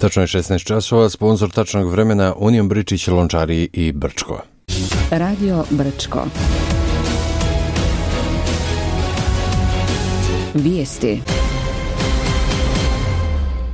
Tačno je 16 časova, sponsor tačnog vremena Union Bričić, Lončari i Brčko. Radio Brčko. Vijesti.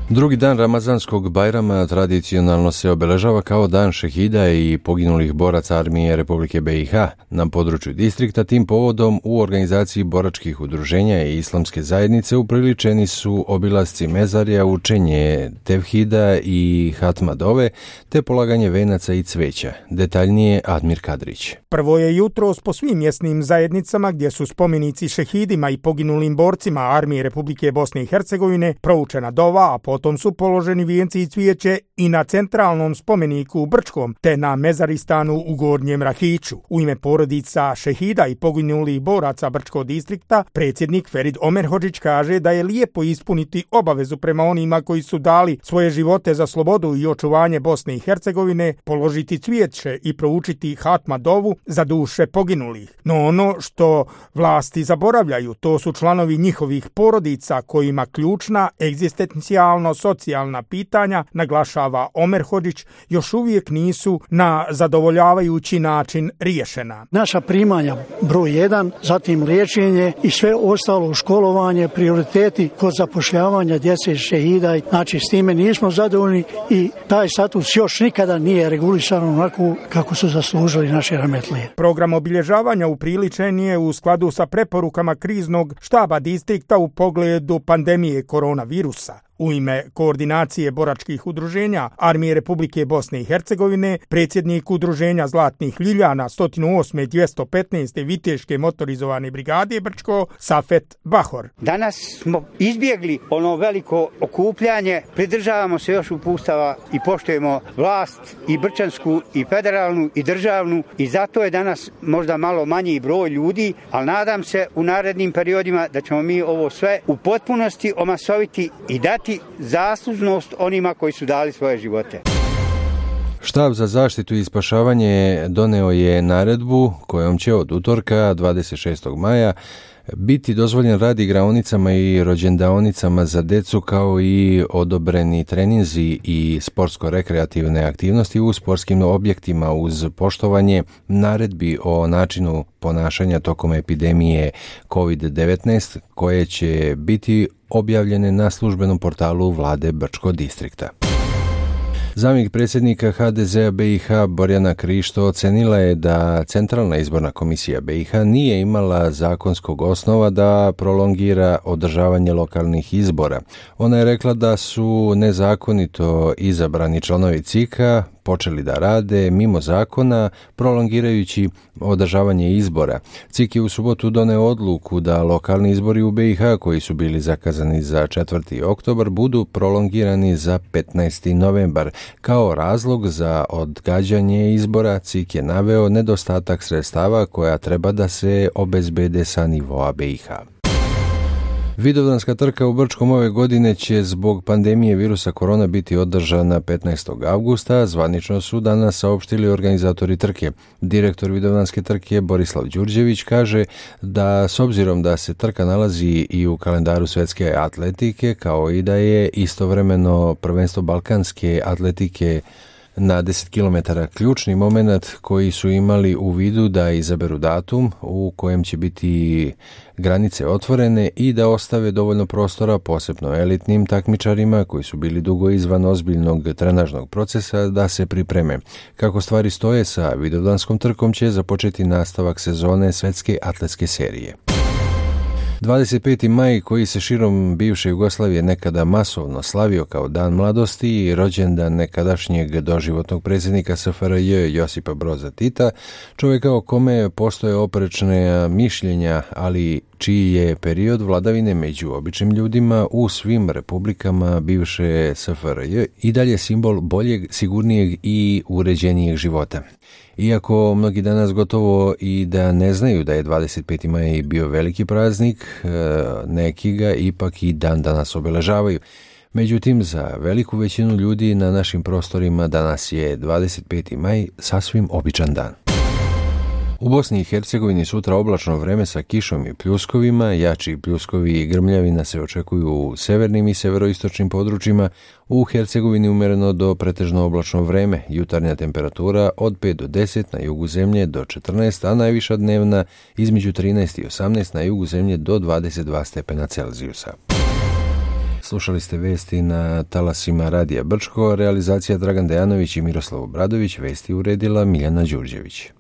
Drugi dan Ramazanskog Bajrama tradicionalno se obeležava kao dan šehida i poginulih boraca armije Republike BiH. Na području distrikta tim povodom u organizaciji boračkih udruženja i islamske zajednice upriličeni su obilasci mezarja, učenje tevhida i hatma dove, te polaganje venaca i cveća. Detaljnije Admir Kadrić. Prvo je jutros po svim mjesnim zajednicama gdje su spomenici šehidima i poginulim borcima armije Republike Bosne i Hercegovine proučena dova, a potom su položeni vijenci i cvijeće i na centralnom spomeniku u Brčkom te na mezaristanu u Gornjem Rahiću. U ime porodica šehida i poginulih boraca Brčkog distrikta predsjednik Ferid Omerhodžić kaže da je lijepo ispuniti obavezu prema onima koji su dali svoje živote za slobodu i očuvanje Bosne i Hercegovine, položiti cvijeće i proučiti hatma dovu za duše poginulih. No ono što vlasti zaboravljaju, to su članovi njihovih porodica kojima ključna egzistencijalno socijalna pitanja, naglašava Omerhodžić, još uvijek nisu na zadovoljavajući način riješena. Naša primanja broj 1, zatim liječenje i sve ostalo, školovanje, prioriteti kod zapošljavanja djece šehida. Znači s time nismo zadovoljni i taj status još nikada nije regulisan onako kako su zaslužili naši rahmetlije. Program obilježavanja upriličen je u skladu sa preporukama kriznog štaba distrikta u pogledu pandemije koronavirusa. U ime koordinacije boračkih udruženja Armije Republike Bosne i Hercegovine, predsjednik udruženja Zlatnih Ljiljana 108. i 215. Viteške motorizovane brigade Brčko, Safet Bahor. Danas smo izbjegli ono veliko okupljanje, pridržavamo se još uputstava i poštujemo vlast i brčansku i federalnu i državnu i zato je danas možda malo manji broj ljudi, ali nadam se u narednim periodima da ćemo mi ovo sve u potpunosti omasoviti i dati zaslužnost onima koji su dali svoje živote. Štab za zaštitu i spašavanje doneo je naredbu kojom će od utorka 26. maja biti dozvoljen rad igraonicama i rođendaonicama za djecu kao i odobreni treninzi i sportsko-rekreativne aktivnosti u sportskim objektima uz poštovanje naredbi o načinu ponašanja tokom epidemije COVID-19 koje će biti objavljene na službenom portalu vlade Brčkog distrikta. Zamjenik predsjednika HDZ-a BiH Borjana Krišto ocenila je da Centralna izborna komisija BiH nije imala zakonskog osnova da prolongira održavanje lokalnih izbora. Ona je rekla da su nezakonito izabrani članovi CIK-a počeli da rade mimo zakona, prolongirajući održavanje izbora. CIK je u subotu doneo odluku da lokalni izbori u BiH koji su bili zakazani za 4. oktobar budu prolongirani za 15. novembar. Kao razlog za odgađanje izbora CIK je naveo nedostatak sredstava koja treba da se obezbede sa nivoa BiH. Vidovdanska trka u Brčkom ove godine će zbog pandemije virusa korona biti održana 15. avgusta, zvanično su danas saopštili organizatori trke. Direktor Vidovdanske trke Borislav Đurđević kaže da s obzirom da se trka nalazi i u kalendaru svjetske atletike, kao i da je istovremeno prvenstvo balkanske atletike na 10 km ključni moment koji su imali u vidu da izaberu datum u kojem će biti granice otvorene i da ostave dovoljno prostora posebno elitnim takmičarima koji su bili dugo izvan ozbiljnog trenažnog procesa da se pripreme. Kako stvari stoje, sa Vidovdanskom trkom će započeti nastavak sezone svjetske atletske serije. 25. maj, koji se širom bivše Jugoslavije nekada masovno slavio kao dan mladosti i rođendan nekadašnjeg doživotnog predsjednika SFRJ Josipa Broza Tita, čovjeka o kome postoje oprečne mišljenja, ali čiji je period vladavine među običnim ljudima u svim republikama bivše SFRJ i dalje simbol boljeg, sigurnijeg i uređenijeg života. Iako mnogi danas gotovo i da ne znaju da je 25. maj bio veliki praznik, neki ga ipak i dan danas obeležavaju. Međutim, za veliku većinu ljudi na našim prostorima danas je 25. maj sasvim običan dan. U Bosni i Hercegovini sutra oblačno vreme sa kišom i pljuskovima, jači pljuskovi i grmljavina se očekuju u severnim i severoistočnim područjima, u Hercegovini umjereno do pretežno oblačno vreme, jutarnja temperatura od 5 do 10 na jugu zemlje do 14, a najviša dnevna između 13 i 18 na jugu zemlje do 22 stepena Celzijusa. Slušali ste vesti na talasima Radija Brčko, realizacija Dragan Dejanović i Miroslav Obradović, vesti uredila Miljana Đurđević.